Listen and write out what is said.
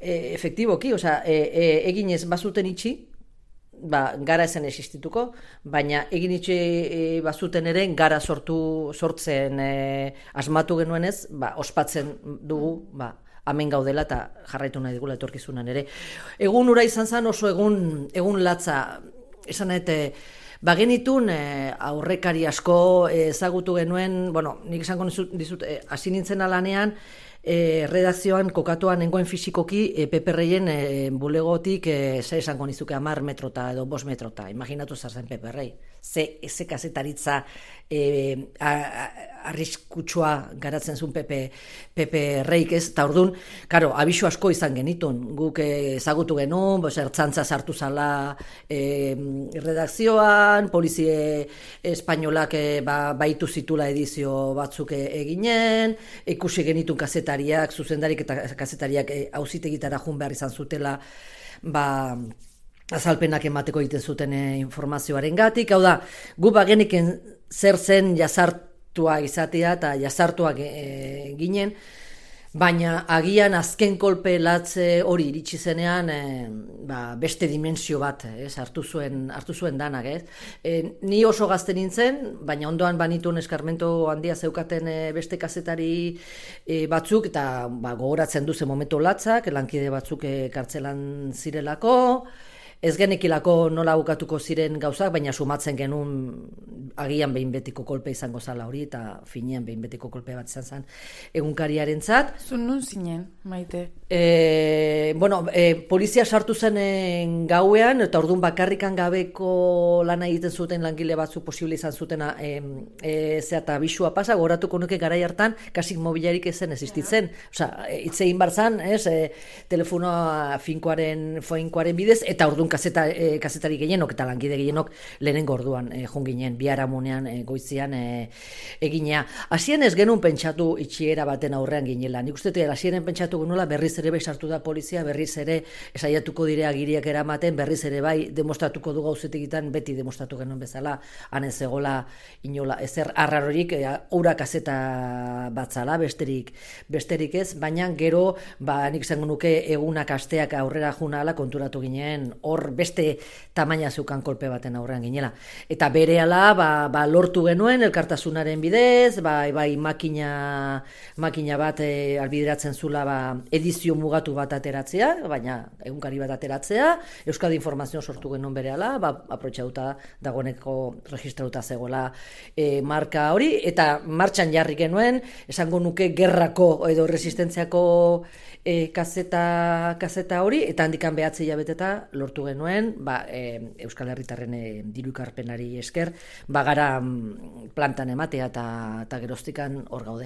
efektiboki, egin ez bazuten itxi, gara ezen existituko, baina egin itxi bazuten ere gara sortzen asmatu genuenez, ospatzen dugu, hemen gaudela eta jarraitu nahi digula etorkizunan ere. Egun ura izan zen oso egun latza, esan bagenitun aurrekari asko ezagutu genuen, nik esango dizut, hasi nintzen alanean, redakzioan kokatuan nengoen fisikoki Pepe-Reien bulegotik ze esango nizuke 10 metrota edo 5 metrota, imaginatu zarzen Pepe-Rei. Ze kazetaritza arriskutsua garatzen zuen Pepe-Reik ez, eta orduan, abisu asko izan genitun, guk ezagutu genuen, ertzantza sartu zala redakzioan, polizie espainolak baitu zitula edizio batzuk eginen, ikusi genitun kazetariak, zuzendarik eta kazetariak auzitegitara joan behar izan zutela, azalpenak emateko egiten zuten informazioaren gatik, hau da, gu bageniken zer zen jazartua izatea eta jazartuak ginen, baina agian azken kolpe latze hori iritsi zenean beste dimensio bat hartu zuen danak. Ni oso gazte nintzen, baina ondoan banituen eskarmento handia zeukaten beste kazetari batzuk, eta gogoratzen duzen momentu latzak, lankide batzuk kartzelan zirelako, ez genekilako nola bukatuko ziren gauzak, baina sumatzen genuen agian behin betiko kolpe izango zala hori, eta finean behin betiko kolpe bat izan zen egunkariaren zat. Zun nun zinen, Maite? Polizia sartu zen gauean, eta orduan bakarrikan gabeko lana egiten zuten langile batzu posible izan zutena eta abisua pasa, goratuko nuke garai hartan, kasik mobilarik ezen existitzen. Itzein barzan, telefonoa foinkoaren bidez, eta orduan kazetari gehienok eta langide gehienok lehenengo orduan junginen, biharamunean goizian eginea. Hasien ez genuen pentsatu itxiera baten aurrean ginela. Nik uste hasieren pentsatu genuela berriz ere sartu da polizia, berriz ere esaiatuko dire agiriak eramaten, berriz ere demostratuko du gauzetegitan, beti demostratu genuen bezala, han ez egola inola ezer arrarorik, ura kazeta batzala, besterik ez, baina gero, nik izango nuke egunak asteak aurrera junala konturatu ginen, hor beste tamaina zeukan kolpe baten aurrean ginela. Eta berehala lortu genuen elkartasunaren bidez, makina bat albideratzen zula edizio mugatu bat ateratzea, baina egunkari bat ateratzea, Euskadi Informazio sortu genuen berehala, aprobetxatuta dagoeneko registratuta zegoela marka hori, eta martxan jarri genuen, esango nuke gerrako edo resistentziako kazeta hori, eta handikan behatzi hilabeteta lortu genuen, Euskal Herritarren diru ekarpenari esker, gara plantan ematea eta geroztikan hor gaude.